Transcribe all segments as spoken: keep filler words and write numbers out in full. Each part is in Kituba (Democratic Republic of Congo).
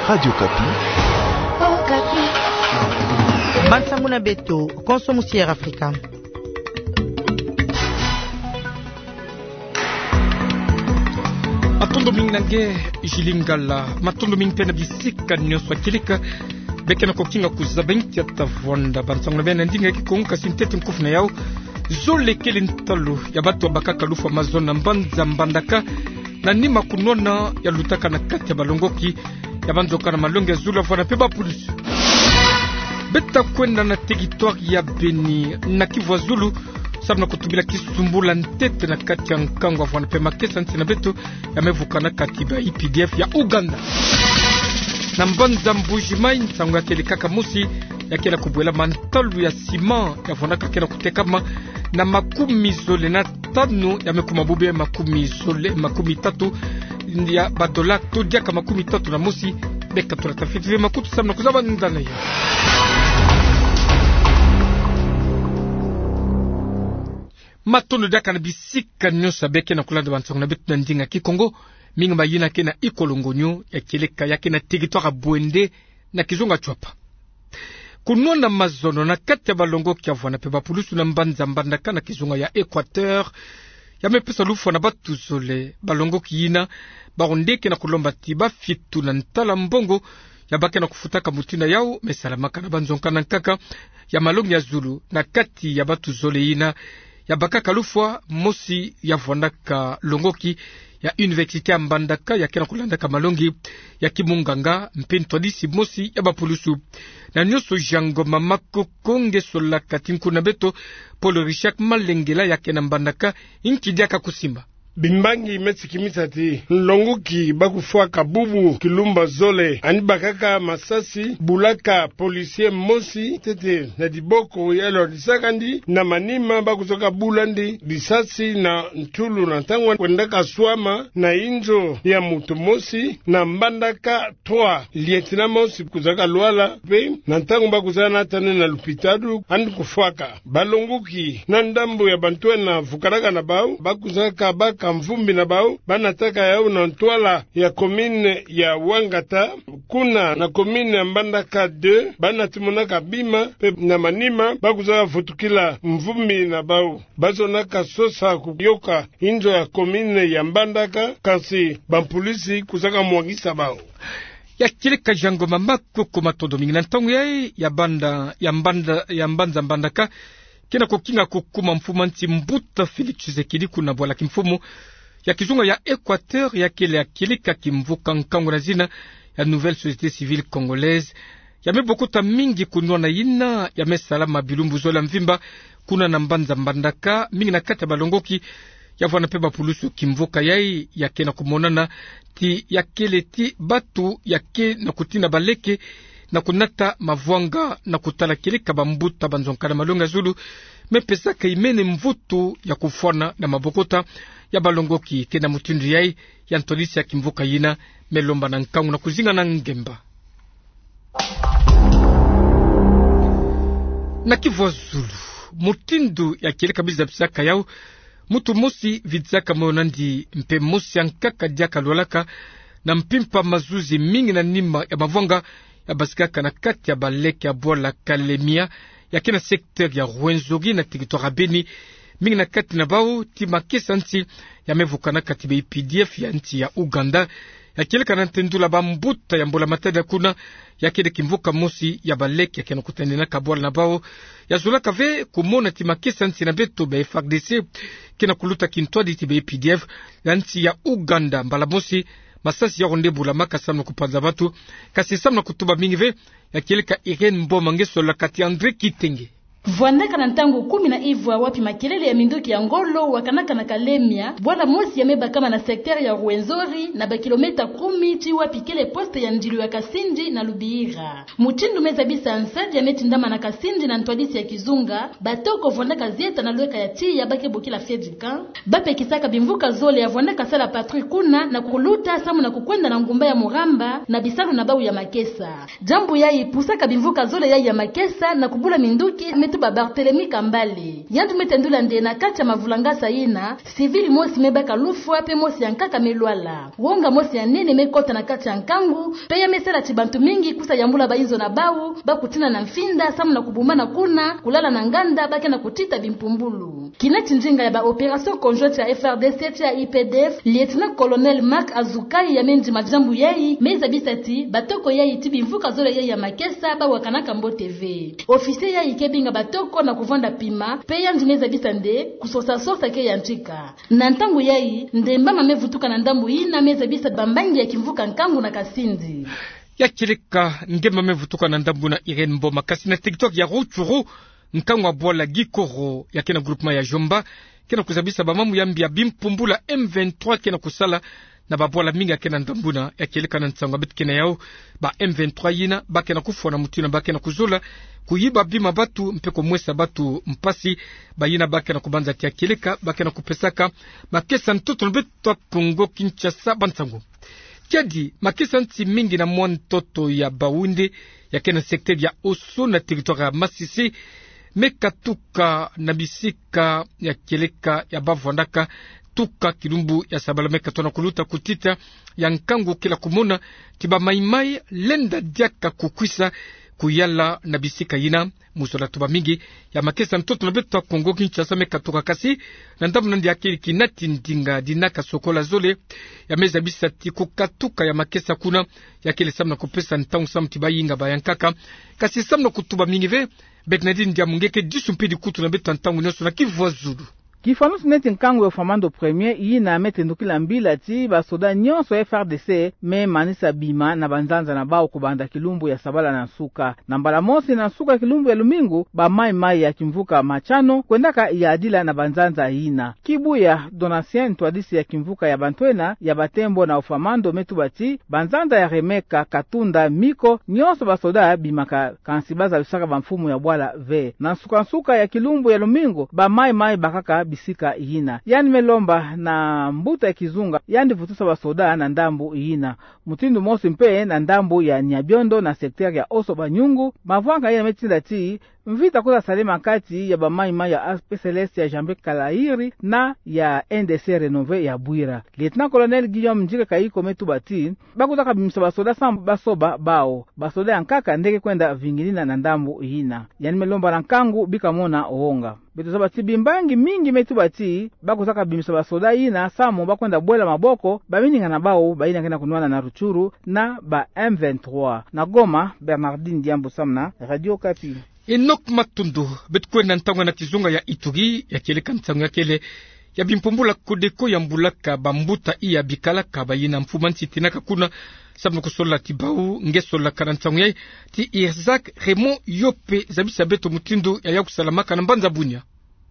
Radio Okapi. Bansangu na beto, konso musi Air Afrika. Matondo mingi na nge, Julie Ngala. Matondo mingi mpe na bisika nyonso ya kieleka. Beke na kokinga kuzaba nkia tata vwanda. Bansangu na beno na ndinga ya Kikongo, kasi ntete nkufi na yau. Zole kele ntalu ya bato ya bakaka lufwa mazono na mbanza Mbandaka, na nima kunwana ya lutaka na kati ya balongoki ya banzoka na malongi ya zulu ya vwanda mpe bapulusu. Beta kwenda na territoire ya Beni, na Kivu ya zulu, samu na kutubila kisumbula ntete na kati ya nkangu ya vwanda mpe makesa nsi na beto, ya me vukana kati ba U P D F ya Ouganda. Na mbanza Mbuji-Mayi, nsangu ya kieleka mosi ya kele kubwela, ntalu ya ciment ya vwandaka kele kutekama na makumi zole na tanu, ya me kuma bobia makumi zole, makumi tatu ya badola, to diaka makumi tatu na mosi. Beka tulata fiti ve makutu samu na kuzaba nda na yo. Matondo diaka na bisika nyonso beke na kulanda bansangu na beto na ndinga Kikongo, mingi mayina ke na Ikolo-Ngonyo ya kieleka ya ke na territoire ya Bouendé, na kizunga Tshuapa. Kunwana mazono na kati ya balongoki ya vwanda mpe bapulusu na mbanza Mbandaka na kizunga ya Équateur, ya me pesa lufwa na bato zole. Balongoki yina, bawu nde ke na kulomba ti bafituna ntala mbongo ya ba ke na kufutaka. Mutindu yau me salamaka na banzonka na nkaka ya malongi ya zulu na kati ya bato zole yina ya bakaka lufwa, mosi ya vwandaka longoki ya Université ya Mbandaka, ya ke na kulandaka malongi ya kimunganga, mpe ntwadisi mosi ya bapulusu. Na nyonso, Jean Ngoma Makoko nge solaka ti nkuna beto Paul Richard Malengela, ya ke na Mbandaka, nki diaka kusimba. Bimbangi me tsikimisa ti nlongoki ba kufwaka bubu kilumba zole, yandi bakaka masasi, bulaka policier mosi ntete na diboko, ya lwandisaka yandi, na manima ba kuzaka bula yandi lisasi na ntulu na ntangu kwendaka swama na inzo ya moto mosi na Mbandaka trois. Lieutenant mosi kuzaka lwala, mpe na ntangu ba kuzaka nata yandi na lupitalu, yandi kufwaka. Balongoki na ndambu ya bantu ena vukanaka na bau, ba kuzaka baka mvumbi na bau, ba nataka yau na ntwala ya commune ya Wangata, kuna na commune ya Mbandaka deux, ba nati monaka bima, mpe na manima ba kuzaka vutukila mvumbi na bau. Ba zonaka sosa kuyoka inzo ya commune ya Mbandaka, kasi bampolisi kuzaka mwangisa bau. Ya kieleka Jean Ngoma Makoko, matondo mingi. Na ntangu yayi ya banda, ya mbanda, ya mbanza Mbandaka ke na kukinga kukuma mfumu a nsi mbuta Félix Tshisekedi kuna bwala kimfumu ya kizunga ya Équateur, ya kele ya kieleka kimvuka nkangu na zina ya Nouvelle Société Civile Congolaise. Ya me bokota mingi kunwana yina ya me salama bilumbu zole ya mvimba kuna na mbanza Mbandaka, mingi na kati ya balongoki ya vwanda mpe bapulusu. Kimvuka yayi ya ke na kumonana ti ya kele ti bato ya ke na kutina baleke na kunata mavwanga na kutala kieleka bambuta banzonka na malongi ya zulu me pesaka imene mvutu ya kufwana na mabokota ya balongoki. Ke na mutindu yayi ya ntwadisi ya kimvuka yina me lomba na nkangu na kuzinga na ngemba. Na Kivu ya zulu, mutindu ya kieleka biza bisaka yau, mutu mosi vidisaka moyo na yandi, mpe mosi ya nkaka diaka lwalaka na mpimpa mazuzi mingi na nima ya mavwanga ya basikaka na kati ya baleke ya bwala Kalemia, ya ke na secteur ya Rwenzori na territoire ya Beni. Mingi na kati na bau ti makesa nsi ya me vukana kati ba U P D F ya nsi ya Ouganda. Ya kieleka na ntendula bambuta ya Mbola Matadi ya kuna, ya kele kimvuka mosi ya baleke ya ke na kutanenaka bwala na bau. Ya zolaka ve kumona ti makesa nsi na beto ba F A R D C ke na kuluta kintwadi ti ba U P D F ya nsi ya Ouganda. Mbala mosi masasi yau nde bulamaka samu na kupanza bato, kasi samu na kutuba mingi ve. Ya kieleka Irène Mboma nge solaka ti André Kitenge. Vwandaka na ntangu kumi na ivwa wapi makelele ya minduki ya ngolo wakanaka na Kalemia, bwala mosi ya me bakama na secteur ya Rwenzori, na ba kilomètre kumi ti wapi kele poste ya ndilu ya Kasindi na Lubira. Mutindu me zabisa nsadi ya me tindama na Kasindi na ntwadisi ya kizunga, batoko vwandaka zieta na lweka ya tiya ba ke bokila Fedika, ba pekisaka bimvuka zole ya vwandaka sala patrouille kuna na kuluta samu na kukwenda na ngumba ya Muramba na bisalu na bau ya makesa. Diambu yayi pusaka bimvuka zole yayi ya makesa na kubula minduki me Ba Barthélemy Kambale, yandi me tendula nde na kati ya mavulangasa yina, civil mosi me baka lufwa, pe mosi ya nkaka me lwala. Wonga mosi ya nene me kota na kati ya nkangu, pe ya me sala ti bantu mingi kusa yambula bayinzo na bawu, ba kutina na mfinda, samu na kubumbana kuna, kulala na nganda, ba ke na kutita bimpumbulu. Kina ti ndinga ya ba opération conjointe ya F R D C tia U P D F, Lieutenant-colonel Marc Azukai ya me ndima diambu yayi, me zabisa ti, batoko yayi ti bimvuka zole yayi ya makesa, ba wakanaka mbote ve. Officier yayi ke binga batoko na kuvwanda pima, pe yandi me zabisa nde, kusosa-sosa ke yantika. Na ntangu yayi, ndembama me vutuka na ndambu yina me zabisa bambangi ya kimvuka nkangu na Kasindi. Ya kieleka, ndembama me vutuka na ndambu na Irène Mboma, kasi na territoire ya Rutshuru, nkangu wa bwala Gikoro, ya ke na groupement ya Djomba, ke na kuzabisa bamambu ya mbi ya bimpumbulu ya M vingt-trois ke na kusala, na babwala mingi ya ke na ndambu yina. Ya kieleka na nsangu ya beto ke na yawu, ba M vingt-trois yina, ba ke na kufwa na mutu yina, ba ke na kuzola, kuyiba bima batu, mpe kumwesa batu mpasi, bayina ba ke na kubanza ti ya kieleka, ba ke na kupesaka makesa ntoto na beto ya Kongo Kinshasa bansangu. Kiadi, makesa nti mingi na mwa ntoto ya bawunde, ya ke na secteur ya Oso na territoire ya Masisi, me katuka na bisika ya kieleka ya bavwandaka tuka kilumbu ya sabala, me katona kuluta kutita ya nkangu kila kumona ti ba maï-maï lenda diaka kukwisa kuyala na bisika yina. Mu zola tuba mingi ya makesa ntoto na beto ya Kongo Kinshasa me katuka, kasi na ndambu na yandi ya kele kina ti ndinga dina kasokola zole, ya me zabisa ti kukatuka ya makesa kuna, ya kele samu na kupesa ntangu samu ti bayinga bayankaka, kasi samu na kutuba mingi ve. Bernardine Ndiamungeke, disu mpe dikutu na beto ya ntangu nyonso na Kivu ya Zulu. Kifwanusu neti nkangu ya Ofamando premier, yina me tendukila mbila ti basoda nyonso ya F R D C me manisa bima na banzanza na bawu kubanda kilumbu ya sabala na nsuka. Na mbala mosi na nsuka ya kilumbu ya lumingu, ba maï-maï ya kimvuka Machano kwendaka yadila na banzanza yina. Kibuya Donatien, ntwadisi ya kimvuka ya bantwenia ya batembo na Ofamando, me tuba ti banzanza ya Remeka, Katunda, Miko, nyonso basoda bimaka, kansi ba zabisaka bamfumu ya bwala ve. Na nsuka-nsuka ya kilumbu ya lumingu, ba maï-maï bakaka bisika yina. Yandi me lomba na mbuta ya kizunga yandi vutusa basoda na ndambu yina. Mutindu mosi mpe na ndambu ya Nyabiondo na secteur ya Oso Banyungu, mavwanga yina me tinda ti mvita kwiza salama kati ya ba maï-maï ya A P C L S ya Jean-Pierre Kalairi na ya N D C Renové ya Bwira. Lieutenant-colonel Guillaume Ndjike Kayiko me tuba ti ba kwiza kabimisa basoda samu ba soba bawu. Basoda yankaka nde ke kwenda vinginina na ndambu yina. Yandi me lomba na nkangu bika mona wonga. Beto zaba ti bimbangi mingi me tuba ti ba kwiza kabimisa basoda yina samu ba kwenda bwela maboko bamininga na bawu bayina ke na kunwana na Rutshuru na ba M vingt-trois. Na Goma, Bernardine Ndiambu samu na Radio Okapi. Enoch Matundu. Beto kwenda ntangu na kizunga ya Ituri, ya kieleka nsangu ya kele ya bimpumbulu ya Codeco yambulaka bambuta iya bikalaka bayina mfumu a nsi tinaka kuna, samu na kusolola ti bawu nge sololaka na nsangu yayi. Ti Isaac Raymond Yope zabisa beto mutindu ya ya kusalamaka na mbanza Bunia.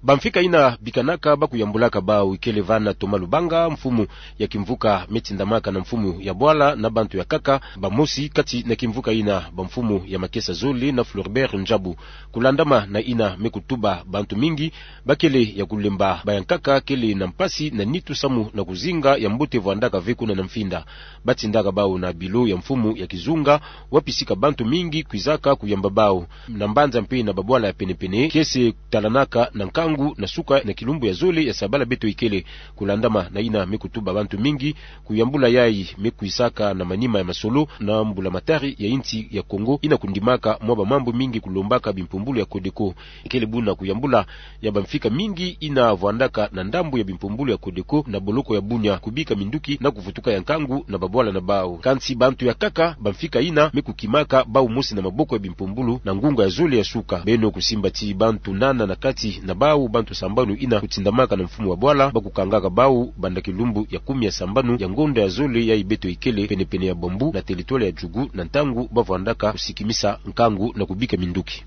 Bamfika yina bikanaka ba kuyambulaka bawu, ikele vana Thomas Lubanga, mfumu ya kimvuka me tindamaka na mfumu ya bwala na bantu ya nkaka, bamosi kati na kimvuka yina bamfumu ya makesa zole na Floribert Ndjabu. Kulandama na yina me kutuba, bantu mingi bakele ya kulemba, bayankaka kele na mpasi na nitu samu na kuzinga ya mbote vwandaka ve kuna na mfinda. Ba tindaka bawu na bilo ya mfumu ya kizunga, wapi sika bantu mingi kwizaka kuyamba bawu. Na mbanza mpe na babwala ya pene-pene, kiese talanaka na nkangu na suka na kilumbu ya zole ya sabala beto ikele. Kulandama na yina me kutuba, bantu mingi kuyambula yayi me kwisaka na manima ya masolo na mbulamatari ya insi ya Kongo, yina kundimaka mwa bamambu mingi kulombaka bimpumbulu ya Codeco. Ikele buna kuyambula ya bamfika mingi yina vwandaka na ndambu ya bimpumbulu ya Codeco na boloko ya Bunia, kubika minduki na kuvutuka ya nkangu na babwala na bawu. Kansi bantu ya nkaka, bamfika yina me kukimaka bawu mosi na maboko ya bimpumbulu na ngunga ya zole ya suka. Beno kusimba ti bantu nana na kati na bawu bantu sambanu yina kutindamaka na mfumu wa bwala, ba kukangaka bawu banda kilumbu ya kumi ya sambanu ya ngonda ya zole yayi beto ikele, pene-pene ya Bambou na territoire ya Djugu, na ntangu ba vwandaka kusikimisa nkangu na kubika minduki.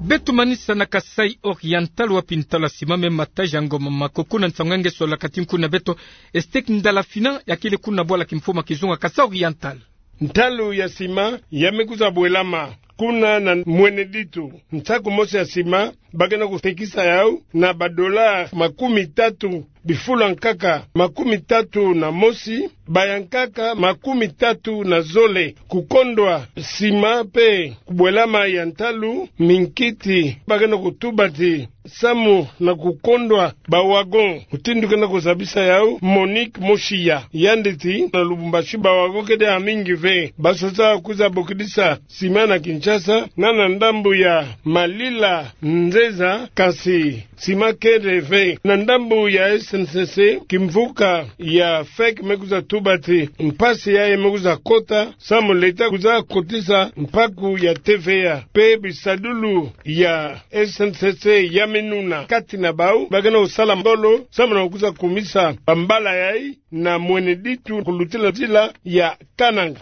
Beto manisa na Kasaï Oriental, wapi ntalu ya sima me mata, Jean Ngoma Makoko, na nsangu ya nge sololaka ti nkundu na beto, Estek Ndala Fina, ya kele kuna bwala kimfumu ya kizunga Kasaï Oriental. Ntalu ya sima ya me kwiza bwelama kuna na Mweneditu, nsaku mosi ya sima ba ke na kutekisa yawu na ba dollars makumi tatu bifulu ya nkaka makumi tatu na mosi, baya nkaka makumi tatu na zole. Kukondwa sima pe kubwelama ya ntalu, minkiti bakena kutubati samu na kukondwa ba wagon. Mutindu kena kuzabisa yau, Monique Moshiya, yandi ti na Lubumbashi ba wagon kedi ya mingi ve. Basosa kwiza bokidisa sima na Kinshasa, na na ndambu ya Malila Nzeza, kasi sima kedi ve. Na ndambu ya S N C C, kimvuka ya fek me kwiza tubati mpasi yayi me kwiza kota, samu leta kwiza kotisa mpaku ya T V A. Pe bisadulu ya S N C C ya minuna kati na bau bakena kusala mbolo samu na kwiza kumisa bambala yayi na mwene ditu kulutila nzila ya Kananga.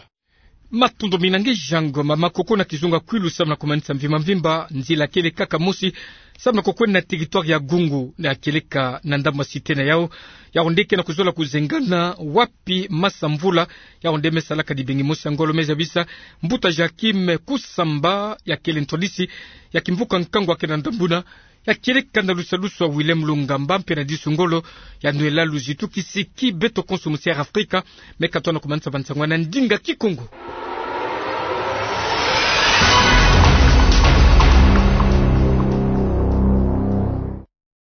Matondo mina nge Jean Ngoma. Makoko na kizunga kwilu samu na kumanisa mvimba mvimba nzila kele kaka mosi samu na kukwenda na territoire ya Gungu, na kieleka na ndambu ya cité na yau. Yau nde kena kuzola kuzengana wapi Masa Mvula, yau nde me salaka dibengi mosi ya ngolo, me zabisa mbuta Joachim Kusamba, ya kele ntwadisi ya kimvuka nkangu ya kele na ndambu na ya kieleka na lusalusu ya Willem Lungamba mpe na disu ngolo ya nwela luzitu kisiki beto konso musi Air Afrika. Me katona kumanisa bansango na ndinga Kikongo.